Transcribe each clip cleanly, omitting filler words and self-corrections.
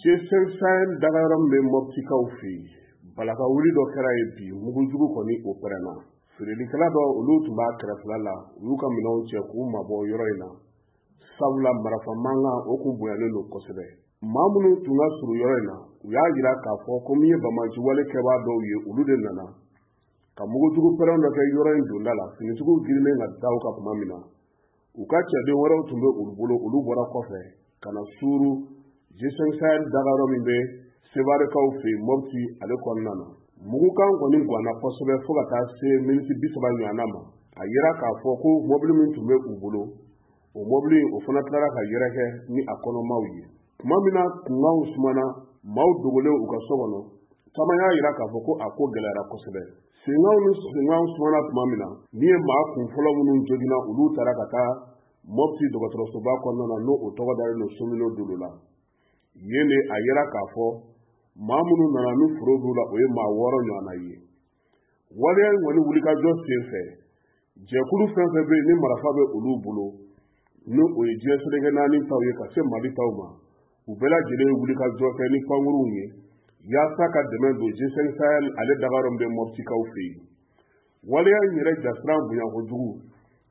G5 Sahel dagayɔrɔ min bɛ Mɔptikaw fɛ yen, balakawuli dɔ kɛra yen bi, mugujugu kɔni o pɛrɛnna. Feerelikɛla dɔ, olu tun b'a kɛrɛfɛla la, u y'u ka minɛnw cɛ k'u mabɔ yɔrɔ in na, sabula marafa mankan o kun bonyalen don kosɛbɛ. Maa minnu tun ka surun yɔrɔ in na, u y'a jira k'a fɔ ko min ye banbaanci wale kɛbaa dɔw ye, olu de nana ka mugujugu pɛrɛn dɔ kɛ yɔrɔ in donda la. Finitigiw girinnen ka da u kan tuma min na, u ka cɛden wɛrɛw tun bɛ olu bolo, olu bɔra kɔfɛ ka na suuru G5 Sahel dagayɔrɔ min bɛ Sevarekaw fɛ yen Mɔpti ale kɔnɔna na. Mugukan kɔni ganna kosɛbɛ fo ka taa se miniti 30 ɲɔgɔnna ma. A yira k'a fɔ ko mɔbili min tun bɛ u bolo, o mɔbili o fana tilara ka yɛrɛkɛ ni a kɔnɔmaw ye. Tuma min na kunkanw sumana, maaw dogolen u ka so kɔnɔ, caman y'a yira k'a fɔ ko a ko gɛlɛyara kosɛbɛ. Senkanw ni senkanw sumana tuma min na, min ye maa kun fɔlɔ minnu joginna, olu taara ka taa Mɔpti dɔgɔtɔrɔsoba kɔnɔna na, n'o o tɔgɔ dalen don Somino Dolo la. Yen de a yira k'a fɔ maa minnu nana ni foro b'u la, o ye maa 6 ɲɔgɔnna ye. Waleya in kɔni wulikajɔ sen fɛ, jɛkulu fɛn fɛn bɛ yen ni marafa bɛ olu bolo, ni o ye diɲɛ seleke 4 taw ye ka se Mali taw ma, u bɛɛ lajɛlen ye wulikajɔ kɛ ni pankurunw ye yaasa ka dɛmɛ don G5 Sahel ale dagayɔrɔ min bɛ Mɔptikaw fɛ yen. Waleya in yɛrɛ jasiran bonya kojugu,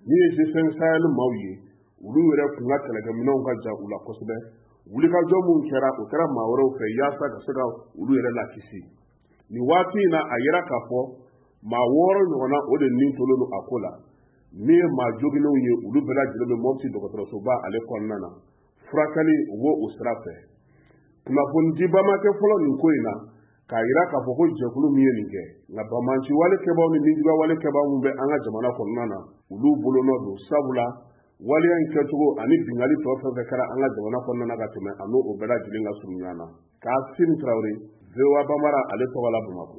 min ye G5 Sahel maaw ye, olu yɛrɛ kun ka kɛlɛkɛminɛnw ka ja u la kosɛbɛ. Wulikajɔ minnu kɛra, o kɛra maa wɛrɛw fɛ yaasa ka se ka olu yɛrɛ lakisi. Nin waati in na, a yira k'a fɔ maa 6 ɲɔgɔnna o de nin tolen don a ko la. Min ye maa joginnenw ye, olu bɛɛ lajɛlen bɛ Mɔpti dɔgɔtɔrɔsoba ale kɔnɔna na. Furakɛli o b'o o sira fɛ. Kunnafonidiba ma kɛ fɔlɔ nin ko in na k'a yira k'a fɔ ko jɛkulu min ye nin kɛ, nka banbaanci wale kɛbaaw ni nijuguya wale kɛbaaw minnu bɛ an ka jamana kɔnɔna na, olu bolonɔ don, sabula waleya in kɛcogo ani binkanni tɔ fɛn fɛn kɛra an ka jamana kɔnɔna na ka tɛmɛ, a n'o bɛɛ lajɛlen ka surun ɲɔgɔn na. Kassim Traoré, VOA Bambara ale tɔgɔ la Bamakɔ.